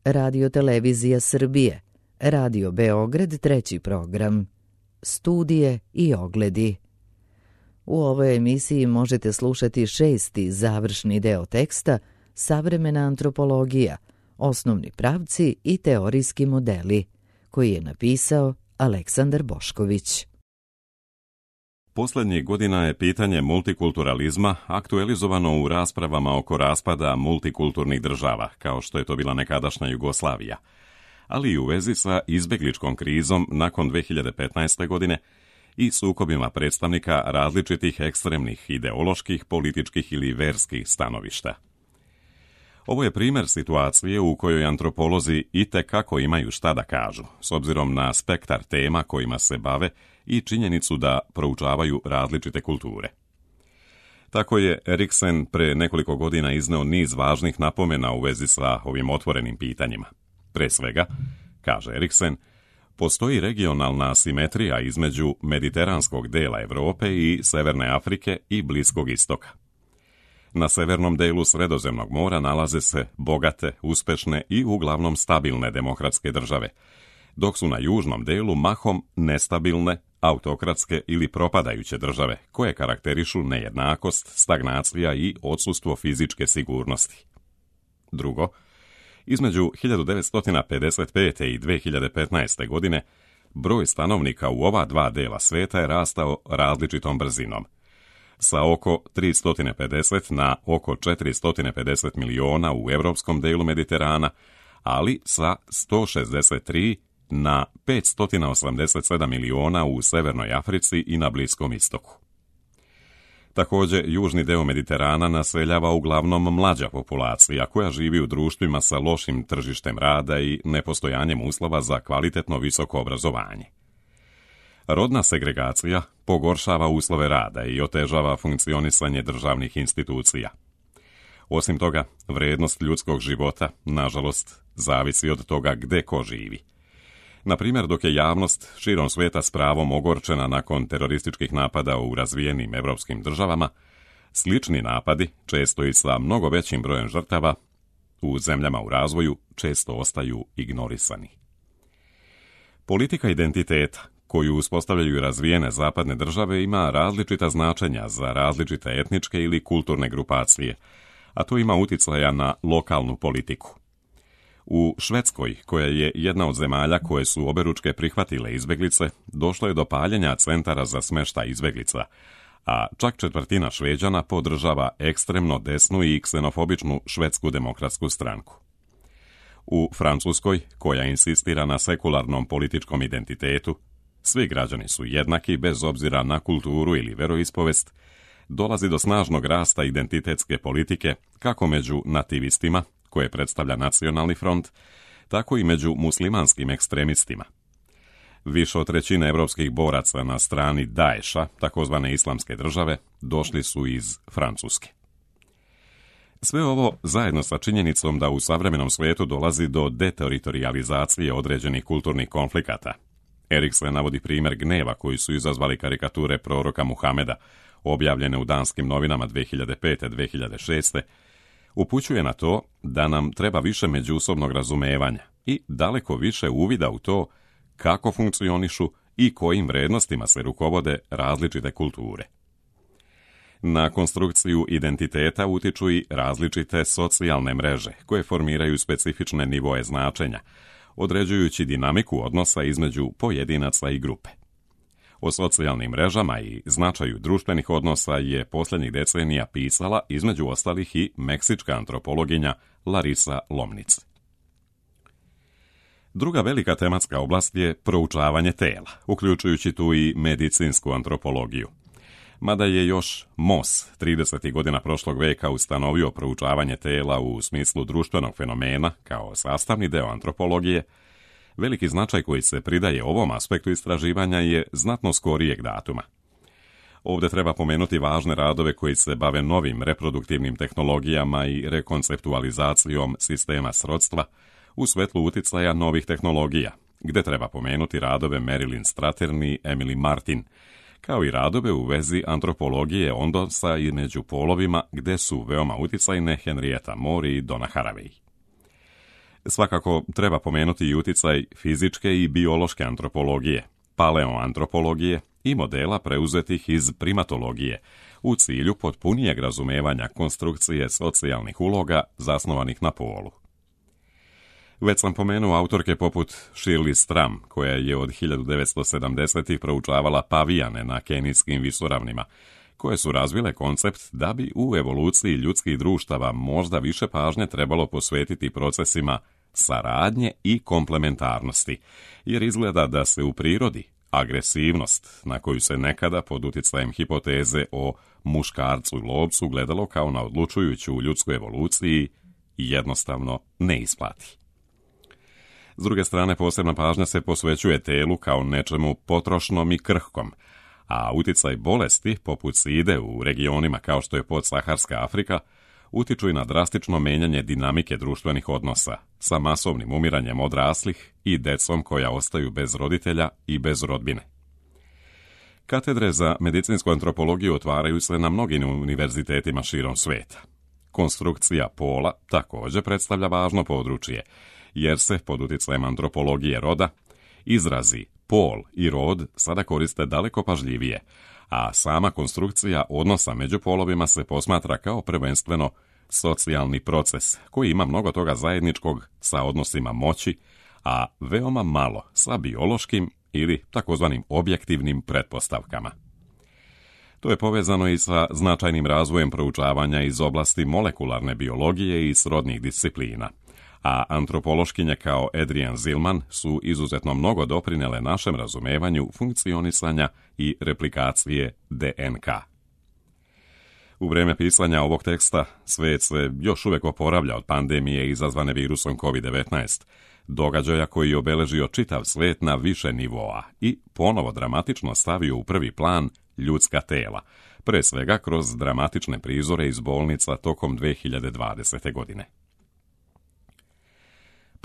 Radio Televizija Srbije, Radio Beograd treći program, studije i ogledi. U ovoj emisiji možete slušati 6. završni deo teksta Savremena antropologija, osnovni pravci i teorijski modeli, koji je napisao Aleksandar Bošković. Poslednjih godina je pitanje multikulturalizma aktualizovano u raspravama oko raspada multikulturnih država, kao što je to bila nekadašnja Jugoslavija, ali i u vezi sa izbegličkom krizom nakon 2015. godine i sukobima predstavnika različitih ekstremnih ideoloških, političkih ili verskih stanovišta. Ovo je primjer situacije u kojoj antropolozi itekako imaju šta da kažu, s obzirom na spektar tema kojima se bave i činjenicu da proučavaju različite kulture. Tako je Eriksen pre nekoliko godina izneo niz važnih napomena u vezi sa ovim otvorenim pitanjima. Pre svega, kaže Eriksen, postoji regionalna asimetrija između mediteranskog dela Evrope i Severne Afrike i Bliskog istoka. Na severnom delu Sredozemnog mora nalaze se bogate, uspešne i uglavnom stabilne demokratske države, dok su na južnom delu mahom nestabilne, autokratske ili propadajuće države, koje karakterišu nejednakost, stagnacija i odsustvo fizičke sigurnosti. Drugo, između 1955. i 2015. godine broj stanovnika u ova dva dela sveta je rastao različitom brzinom, sa oko 350 na oko 450 miliona u evropskom delu Mediterana, ali sa 163 na 587 miliona u Severnoj Africi i na Bliskom istoku. Također, južni deo Mediterana naseljava uglavnom mlađa populacija koja živi u društvima sa lošim tržištem rada i nepostojanjem uslova za kvalitetno visoko obrazovanje. Rodna segregacija pogoršava uslove rada i otežava funkcionisanje državnih institucija. Osim toga, vrednost ljudskog života, nažalost, zavisi od toga gde ko živi. Na primjer, dok je javnost širom svijeta s pravom ogorčena nakon terorističkih napada u razvijenim evropskim državama, slični napadi, često i sa mnogo većim brojem žrtava, u zemljama u razvoju često ostaju ignorisani. Politika identiteta, koju uspostavljaju razvijene zapadne države, ima različita značenja za različite etničke ili kulturne grupacije, a to ima uticaja na lokalnu politiku. U Švedskoj, koja je jedna od zemalja koje su oberučke prihvatile izbeglice, došlo je do paljenja centara za smještaj izbeglica, a čak četvrtina Šveđana podržava ekstremno desnu i ksenofobičnu Švedsku demokratsku stranku. U Francuskoj, koja insistira na sekularnom političkom identitetu, svi građani su jednaki bez obzira na kulturu ili veroispovest, dolazi do snažnog rasta identitetske politike kako među nativistima, koje predstavlja Nacionalni front, tako i među muslimanskim ekstremistima. Više od trećine evropskih boraca na strani Daesha, takozvane islamske države, došli su iz Francuske. Sve ovo zajedno sa činjenicom da u savremenom svijetu dolazi do deteritorijalizacije određenih kulturnih konflikata. Eriksen navodi primjer gneva koji su izazvali karikature proroka Muhameda, objavljene u danskim novinama 2005-2006, upućuje na to da nam treba više međusobnog razumevanja i daleko više uvida u to kako funkcionišu i kojim vrednostima se rukovode različite kulture. Na konstrukciju identiteta utiču i različite socijalne mreže koje formiraju specifične nivoe značenja, određujući dinamiku odnosa između pojedinaca i grupe. O socijalnim mrežama i značaju društvenih odnosa je posljednjih decenija pisala između ostalih i meksička antropologinja Larisa Lomnic. Druga velika tematska oblast je proučavanje tela, uključujući tu i medicinsku antropologiju. Mada je još Moss 30. godina prošlog veka ustanovio proučavanje tela u smislu društvenog fenomena kao sastavni deo antropologije, veliki značaj koji se pridaje ovom aspektu istraživanja je znatno skorijeg datuma. Ovdje treba pomenuti važne radove koji se bave novim reproduktivnim tehnologijama i rekonceptualizacijom sistema srodstva u svetlu uticaja novih tehnologija, gdje treba pomenuti radove Marilyn Strathern i Emily Martin, kao i radove u vezi antropologije odnosa i među polovima, gdje su veoma uticajne Henrietta Moore i Donna Haraway. Svakako treba pomenuti i uticaj fizičke i biološke antropologije, paleoantropologije i modela preuzetih iz primatologije u cilju potpunijeg razumevanja konstrukcije socijalnih uloga zasnovanih na polu. Već sam pomenuo autorke poput Shirley Stram, koja je od 1970-ih proučavala pavijane na kenijskim visoravnima, koje su razvile koncept da bi u evoluciji ljudskih društava možda više pažnje trebalo posvetiti procesima saradnje i komplementarnosti, jer izgleda da se u prirodi agresivnost, na koju se nekada pod utjecajem hipoteze o muškarcu i lovcu gledalo kao na odlučujuću u ljudskoj evoluciji, jednostavno ne isplati. S druge strane, posebna pažnja se posvećuje telu kao nečemu potrošnom i krhkom, a utjecaj bolesti, poput side u regionima kao što je podsaharska Afrika, utiču i na drastično menjanje dinamike društvenih odnosa, sa masovnim umiranjem odraslih i decom koja ostaju bez roditelja i bez rodbine. Katedre za medicinsku antropologiju otvaraju se na mnogim univerzitetima širom sveta. Konstrukcija pola također predstavlja važno područje, jer se pod utjecajem antropologije roda izrazi pol i rod sada koriste daleko pažljivije, a sama konstrukcija odnosa među polovima se posmatra kao prvenstveno socijalni proces koji ima mnogo toga zajedničkog sa odnosima moći, a veoma malo sa biološkim ili takozvanim objektivnim pretpostavkama. To je povezano i sa značajnim razvojem proučavanja iz oblasti molekularne biologije i srodnih disciplina, a antropološkinje kao Adrienne Zillman su izuzetno mnogo doprinele našem razumevanju funkcionisanja i replikacije DNK. U vrijeme pisanja ovog teksta svijet se još uvijek oporavlja od pandemije izazvane virusom COVID-19, događaja koji je obeležio čitav svijet na više nivoa i ponovo dramatično stavio u prvi plan ljudska tela, pre svega kroz dramatične prizore iz bolnica tokom 2020. godine.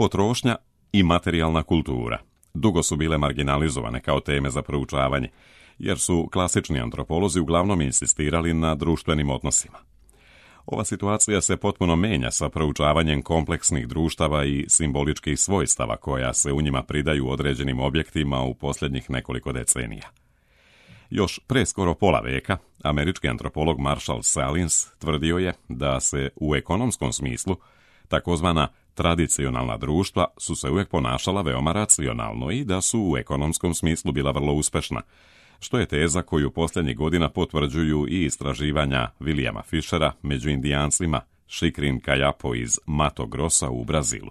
Potrošnja i materijalna kultura dugo su bile marginalizovane kao teme za proučavanje, jer su klasični antropolozi uglavnom insistirali na društvenim odnosima. Ova situacija se potpuno menja sa proučavanjem kompleksnih društava i simboličkih svojstava koja se u njima pridaju određenim objektima u posljednjih nekoliko decenija. Još pre skoro pola veka, američki antropolog Marshall Salins tvrdio je da se u ekonomskom smislu takozvana tradicionalna društva su se uvijek ponašala veoma racionalno i da su u ekonomskom smislu bila vrlo uspešna, što je teza koju posljednjih godina potvrđuju i istraživanja Williama Fishera među Indijancima Xikrin Kayapo iz Mato Grossa u Brazilu.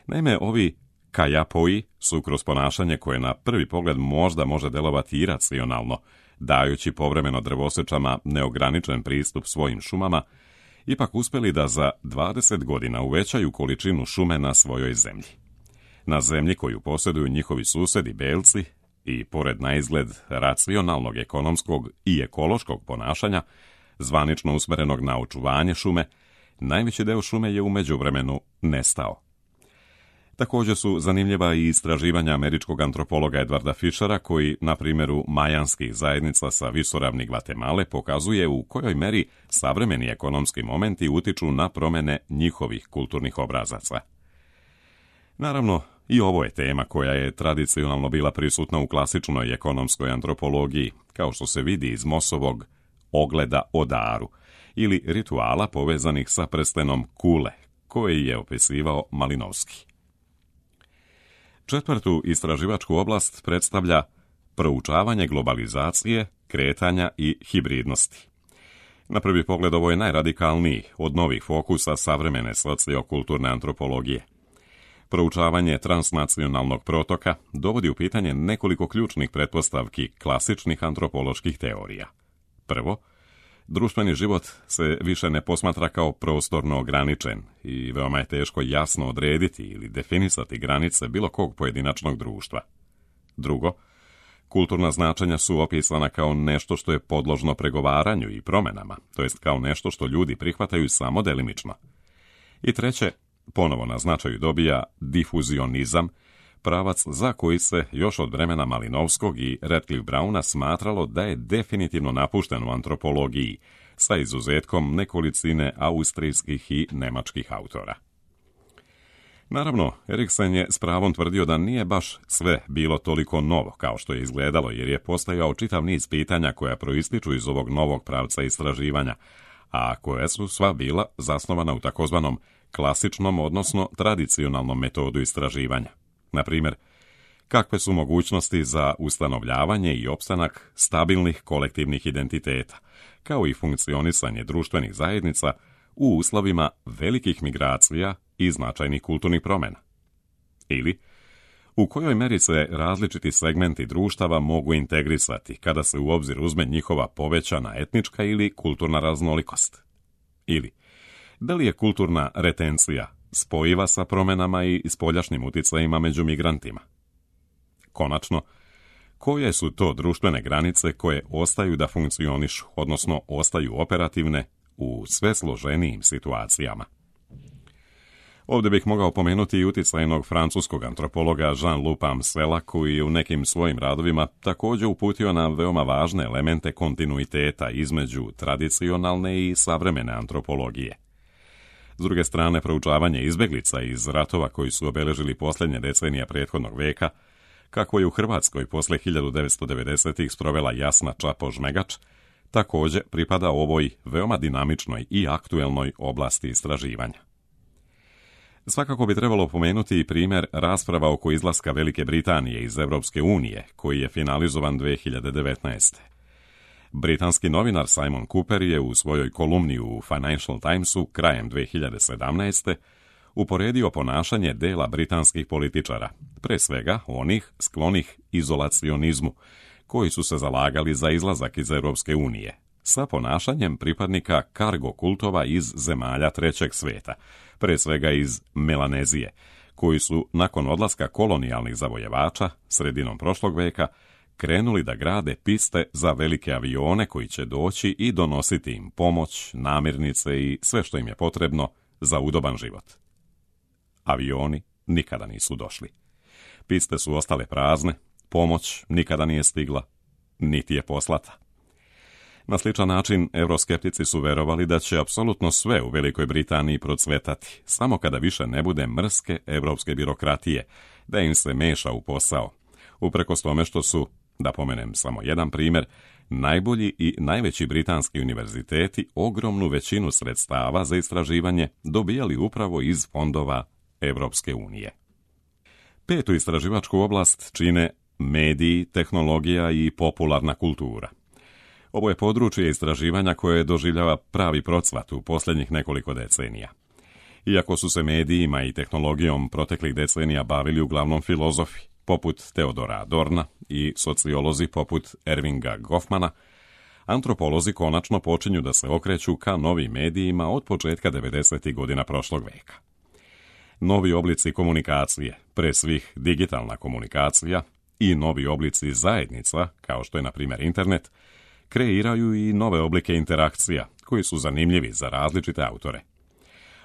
Naime, ovi Kayapoi su kroz ponašanje koje na prvi pogled možda može delovati iracionalno, dajući povremeno drvosečama neograničen pristup svojim šumama, ipak uspjeli da za 20 godina uvećaju količinu šume na svojoj zemlji. Na zemlji koju posjeduju njihovi susedi belci i pored naizgled racionalnog ekonomskog i ekološkog ponašanja, zvanično usmjerenog na očuvanje šume, najveći deo šume je u međuvremenu nestao. Također su zanimljiva i istraživanja američkog antropologa Edwarda Fishera koji na primjeru majanskih zajednica sa visoravni Gvatemale pokazuje u kojoj meri savremeni ekonomski momenti utiču na promjene njihovih kulturnih obrazaca. Naravno, i ovo je tema koja je tradicionalno bila prisutna u klasičnoj ekonomskoj antropologiji, kao što se vidi iz Mossovog ogleda o daru ili rituala povezanih sa prstenom kule, koji je opisivao Malinovski. Četvrtu istraživačku oblast predstavlja proučavanje globalizacije, kretanja i hibridnosti. Na prvi pogled ovo je najradikalniji od novih fokusa savremene sociokulturne antropologije. Proučavanje transnacionalnog protoka dovodi u pitanje nekoliko ključnih pretpostavki klasičnih antropoloških teorija. Prvo, društveni život se više ne posmatra kao prostorno ograničen i veoma je teško jasno odrediti ili definisati granice bilo kog pojedinačnog društva. Drugo, kulturna značenja su opisana kao nešto što je podložno pregovaranju i promjenama, to jest kao nešto što ljudi prihvataju samo delimično. I treće, ponovo na značaju dobija difuzionizam, pravac za koji se još od vremena Malinovskog i Radcliffe Browna smatralo da je definitivno napušten u antropologiji, sa izuzetkom nekolicine austrijskih i nemačkih autora. Naravno, Eriksen je s pravom tvrdio da nije baš sve bilo toliko novo kao što je izgledalo, jer je postojao čitav niz pitanja koja proističu iz ovog novog pravca istraživanja, a koje su sva bila zasnovana u takozvanom klasičnom, odnosno tradicionalnom metodu istraživanja. Na primjer, kakve su mogućnosti za ustanovljavanje i opstanak stabilnih kolektivnih identiteta, kao i funkcionisanje društvenih zajednica u uslovima velikih migracija i značajnih kulturnih promjena. Ili, u kojoj meri se različiti segmenti društava mogu integrisati kada se u obzir uzme njihova povećana etnička ili kulturna raznolikost. Ili, da li je kulturna retencija spojiva sa promjenama i spoljašnjim utjecajima među migrantima. Konačno, koje su to društvene granice koje ostaju da funkcionišu, odnosno ostaju operativne u sve složenijim situacijama. Ovdje bih mogao pomenuti i utjecajnog francuskog antropologa Jean-Luc Amsela, koji je u nekim svojim radovima također uputio na veoma važne elemente kontinuiteta između tradicionalne i savremene antropologije. S druge strane, proučavanje izbjeglica iz ratova koji su obeležili posljednje decenije prethodnog veka, kako je u Hrvatskoj posle 1990-ih sprovela Jasna Čapo-Žmegač, također pripada ovoj veoma dinamičnoj i aktuelnoj oblasti istraživanja. Svakako bi trebalo pomenuti i primjer rasprava oko izlaska Velike Britanije iz Europske unije, koji je finalizovan 2019. Britanski novinar Simon Cooper je u svojoj kolumni u Financial Timesu krajem 2017. uporedio ponašanje dela britanskih političara, pre svega onih sklonih izolacionizmu, koji su se zalagali za izlazak iz Europske unije, sa ponašanjem pripadnika kargo kultova iz zemalja trećeg svijeta, pre svega iz Melanezije, koji su nakon odlaska kolonijalnih zavojevača sredinom prošlog veka krenuli da grade piste za velike avione koji će doći i donositi im pomoć, namirnice i sve što im je potrebno za udoban život. Avioni nikada nisu došli. Piste su ostale prazne, pomoć nikada nije stigla, niti je poslata. Na sličan način, euroskeptici su verovali da će apsolutno sve u Velikoj Britaniji procvetati, samo kada više ne bude mrske evropske birokratije, da im se meša u posao, uprkos tome što su, da pomenem samo jedan primjer, najbolji i najveći britanski univerziteti ogromnu većinu sredstava za istraživanje dobijali upravo iz fondova Evropske unije. Petu istraživačku oblast čine mediji, tehnologija i popularna kultura. Ovo je područje istraživanja koje doživljava pravi procvat u posljednjih nekoliko decenija. Iako su se medijima i tehnologijom proteklih decenija bavili uglavnom filozofi, poput Teodora Adorna, i sociolozi poput Ervinga Goffmana, antropolozi konačno počinju da se okreću ka novim medijima od početka 90. godina prošlog veka. Novi oblici komunikacije, pre svih digitalna komunikacija, i novi oblici zajednica, kao što je na primjer internet, kreiraju i nove oblike interakcija, koji su zanimljivi za različite autore.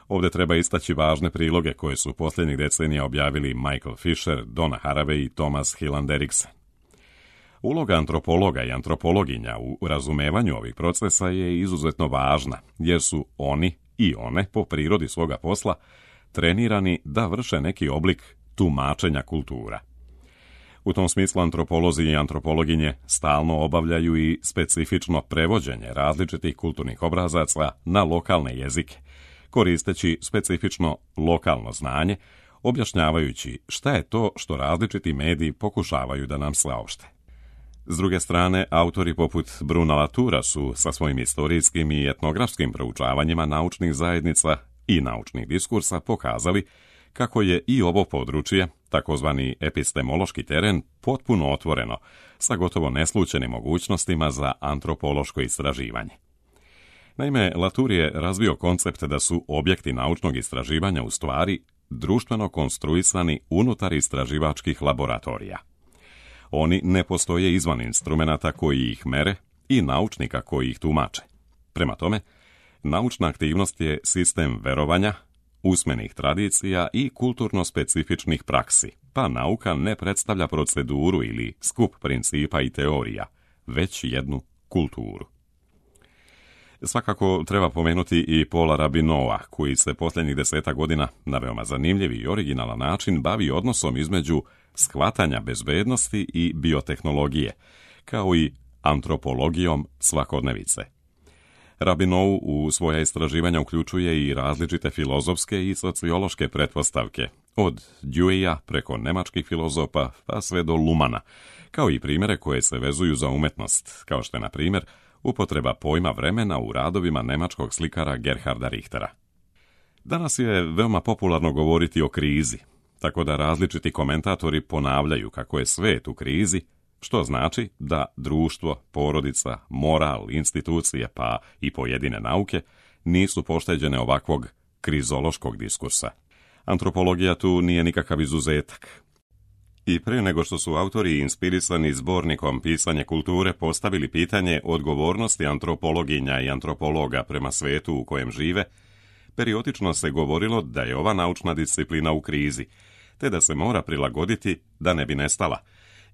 Ovdje treba istaći važne priloge koje su posljednjih decenija objavili Michael Fisher, Donna Haraway i Thomas Hilland Eriksen. Uloga antropologa i antropologinja u razumevanju ovih procesa je izuzetno važna, jer su oni i one, po prirodi svoga posla, trenirani da vrše neki oblik tumačenja kultura. U tom smislu antropolozi i antropologinje stalno obavljaju i specifično prevođenje različitih kulturnih obrazaca na lokalne jezike, koristeći specifično lokalno znanje, objašnjavajući šta je to što različiti mediji pokušavaju da nam saopšte. S druge strane, autori poput Bruna Latoura su sa svojim istorijskim i etnografskim proučavanjima naučnih zajednica i naučnih diskursa pokazali kako je i ovo područje, takozvani epistemološki teren, potpuno otvoreno, sa gotovo neslućenim mogućnostima za antropološko istraživanje. Naime, Latour je razvio koncept da su objekti naučnog istraživanja u stvari društveno konstruisani unutar istraživačkih laboratorija. Oni ne postoje izvan instrumenata koji ih mere i naučnika koji ih tumače. Prema tome, naučna aktivnost je sistem verovanja, usmenih tradicija i kulturno specifičnih praksi, pa nauka ne predstavlja proceduru ili skup principa i teorija, već jednu kulturu. Svakako treba pomenuti i Paula Rabinoa, koji se posljednjih 10 godina na veoma zanimljiv i originalan način bavi odnosom između shvatanja bezbednosti i biotehnologije, kao i antropologijom svakodnevice. Rabinou u svoja istraživanja uključuje i različite filozofske i sociološke pretpostavke, od Deweyja preko nemačkih filozofa pa sve do Lumana, kao i primjere koje se vezuju za umetnost, kao što je, na primjer, upotreba pojma vremena u radovima nemačkog slikara Gerharda Richtera. Danas je veoma popularno govoriti o krizi, tako da različiti komentatori ponavljaju kako je svet u krizi, što znači da društvo, porodica, moral, institucije pa i pojedine nauke nisu pošteđene ovakvog krizološkog diskursa. Antropologija tu nije nikakav izuzetak. I prije nego što su autori inspirisani zbornikom Pisanje kulture postavili pitanje odgovornosti antropologinja i antropologa prema svetu u kojem žive, periodično se govorilo da je ova naučna disciplina u krizi, te da se mora prilagoditi da ne bi nestala,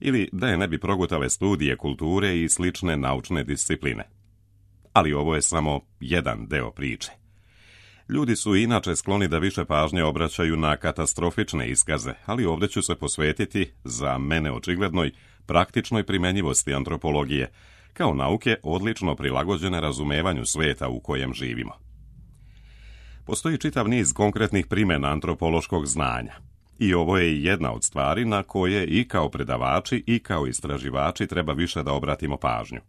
ili da je ne bi progutale studije kulture i slične naučne discipline. Ali ovo je samo jedan deo priče. Ljudi su inače skloni da više pažnje obraćaju na katastrofične iskaze, ali ovdje ću se posvetiti, za mene očiglednoj, praktičnoj primjenjivosti antropologije, kao nauke odlično prilagođene razumevanju sveta u kojem živimo. Postoji čitav niz konkretnih primjena antropološkog znanja. I ovo je jedna od stvari na koje i kao predavači i kao istraživači treba više da obratimo pažnju.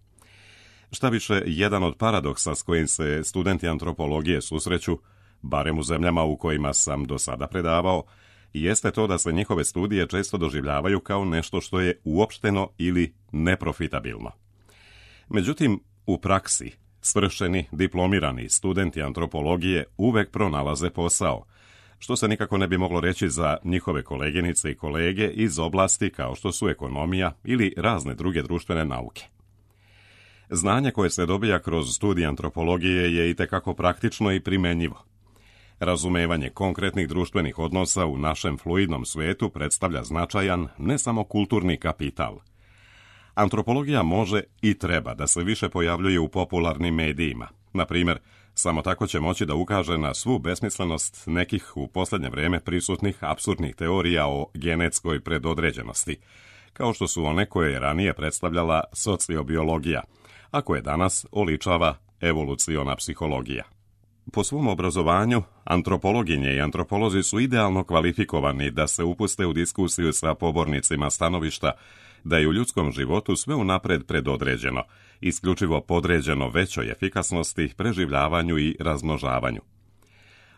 Šta više, jedan od paradoksa s kojim se studenti antropologije susreću, barem u zemljama u kojima sam do sada predavao, jeste to da se njihove studije često doživljavaju kao nešto što je uopšteno ili neprofitabilno. Međutim, u praksi, svršeni, diplomirani studenti antropologije uvek pronalaze posao, što se nikako ne bi moglo reći za njihove koleginice i kolege iz oblasti kao što su ekonomija ili razne druge društvene nauke. Znanje koje se dobija kroz studij antropologije je itekako praktično i primenjivo. Razumevanje konkretnih društvenih odnosa u našem fluidnom svetu predstavlja značajan, ne samo kulturni kapital. Antropologija može i treba da se više pojavljuje u popularnim medijima. Na primjer, samo tako će moći da ukaže na svu besmislenost nekih u posljednje vrijeme prisutnih apsurdnih teorija o genetskoj predodređenosti, kao što su one koje je ranije predstavljala sociobiologija, a koje danas oličava evoluciona psihologija. Po svom obrazovanju, antropologinje i antropolozi su idealno kvalifikovani da se upuste u diskusiju sa pobornicima stanovišta da je u ljudskom životu sve unapred predodređeno, isključivo podređeno većoj efikasnosti, preživljavanju i razmnožavanju.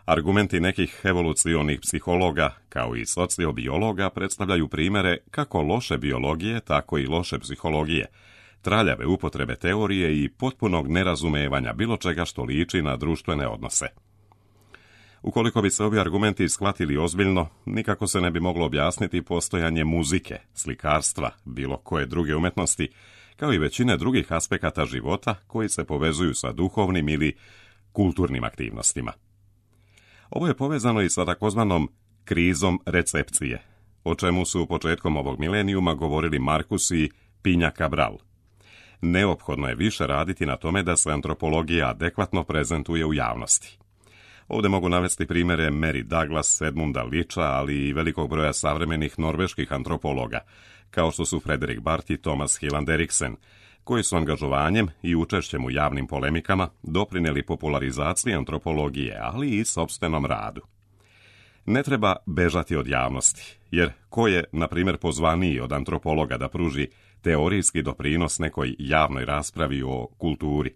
Argumenti nekih evolucionih psihologa, kao i sociobiologa, predstavljaju primjere kako loše biologije, tako i loše psihologije, traljave upotrebe teorije i potpunog nerazumevanja bilo čega što liči na društvene odnose. Ukoliko bi se ovi argumenti shvatili ozbiljno, nikako se ne bi moglo objasniti postojanje muzike, slikarstva, bilo koje druge umetnosti, kao i većine drugih aspekata života koji se povezuju sa duhovnim ili kulturnim aktivnostima. Ovo je povezano i sa takozvanom krizom recepcije, o čemu su početkom ovog milenijuma govorili Marcus i Pinja Cabral. Neophodno je više raditi na tome da se antropologija adekvatno prezentuje u javnosti. Ovdje mogu navesti primjere Mary Douglas, Edmunda Licha, ali i velikog broja savremenih norveških antropologa, kao što su Frederik Barth i Thomas Hilland Eriksen, koji su angažovanjem i učešćem u javnim polemikama doprinijeli popularizaciji antropologije, ali i sopstvenom radu. Ne treba bežati od javnosti, jer ko je, na primjer, pozvaniji od antropologa da pruži teorijski doprinos nekoj javnoj raspravi o kulturi?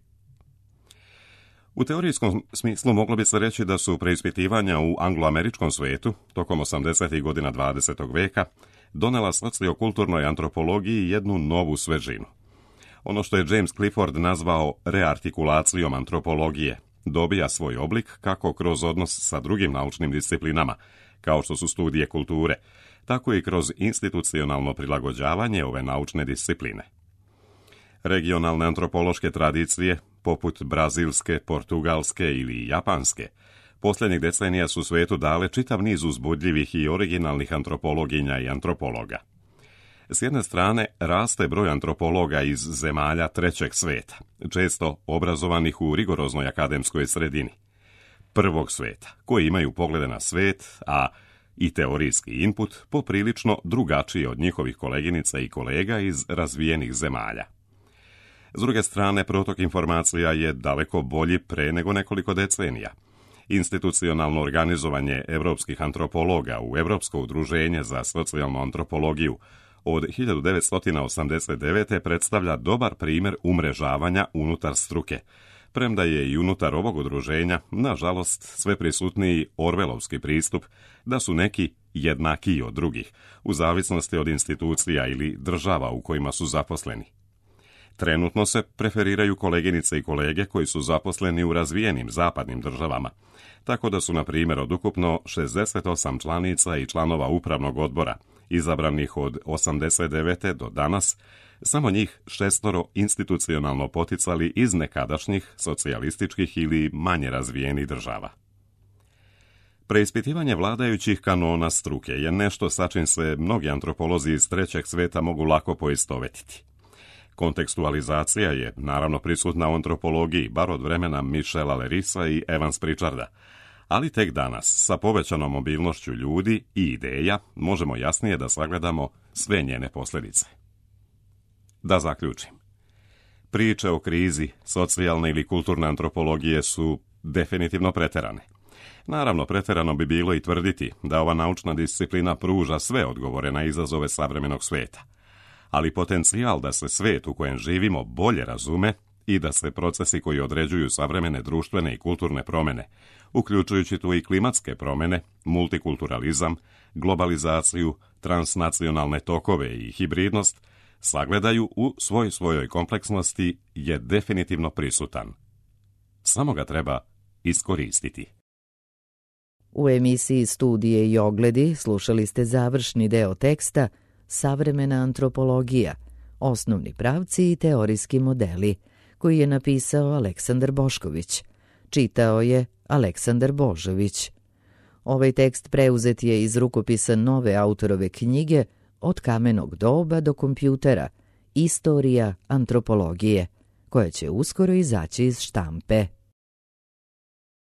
U teorijskom smislu moglo bi se reći da su preispitivanja u angloameričkom svijetu, tokom 80. godina 20. veka, donela sociokulturnoj antropologiji jednu novu svežinu. Ono što je James Clifford nazvao reartikulacijom antropologije dobija svoj oblik kako kroz odnos sa drugim naučnim disciplinama, kao što su studije kulture, tako i kroz institucionalno prilagođavanje ove naučne discipline. Regionalne antropološke tradicije, poput brazilske, portugalske ili japanske, posljednjih decenija su svijetu dale čitav niz uzbudljivih i originalnih antropologinja i antropologa. S jedne strane, raste broj antropologa iz zemalja trećeg sveta, često obrazovanih u rigoroznoj akademskoj sredini. Prvog sveta, koji imaju poglede na svet, a i teorijski input poprilično drugačiji od njihovih koleginica i kolega iz razvijenih zemalja. S druge strane, protok informacija je daleko bolji pre nego nekoliko decenija. Institucionalno organizovanje evropskih antropologa u Evropsko udruženje za socijalnu antropologiju od 1989. predstavlja dobar primjer umrežavanja unutar struke, premda je i unutar ovog udruženja, nažalost, sve prisutniji orvelovski pristup da su neki jednakiji od drugih, u zavisnosti od institucija ili država u kojima su zaposleni. Trenutno se preferiraju koleginice i kolege koji su zaposleni u razvijenim zapadnim državama, tako da su, na primjer, od ukupno 68 članica i članova upravnog odbora, izabranih od 89. do danas, samo njih 6 institucionalno poticali iz nekadašnjih socijalističkih ili manje razvijenih država. Preispitivanje vladajućih kanona struke je nešto sa čim se mnogi antropolozi iz trećeg sveta mogu lako poistovetiti. Kontekstualizacija je naravno prisutna u antropologiji, bar od vremena Michela Lerisa i Evans Pritcharda, ali tek danas, sa povećanom mobilnošću ljudi i ideja, možemo jasnije da sagledamo sve njene posljedice. Da zaključim. Priče o krizi socijalne ili kulturne antropologije su definitivno preterane. Naravno, preterano bi bilo i tvrditi da ova naučna disciplina pruža sve odgovore na izazove savremenog sveta. Ali potencijal da se svijet u kojem živimo bolje razume i da se procesi koji određuju savremene društvene i kulturne promjene, uključujući tu i klimatske promjene, multikulturalizam, globalizaciju, transnacionalne tokove i hibridnost, sagledaju u svojoj kompleksnosti, je definitivno prisutan. Samo ga treba iskoristiti. U emisiji Studije i ogledi slušali ste završni deo teksta Savremena antropologija, osnovni pravci i teorijski modeli, koji je napisao Aleksandar Bošković. Čitao je Aleksandar Božović. Ovaj tekst preuzet je iz rukopisa nove autorove knjige Od kamenog doba do kompjutera, Istorija antropologije, koja će uskoro izaći iz štampe.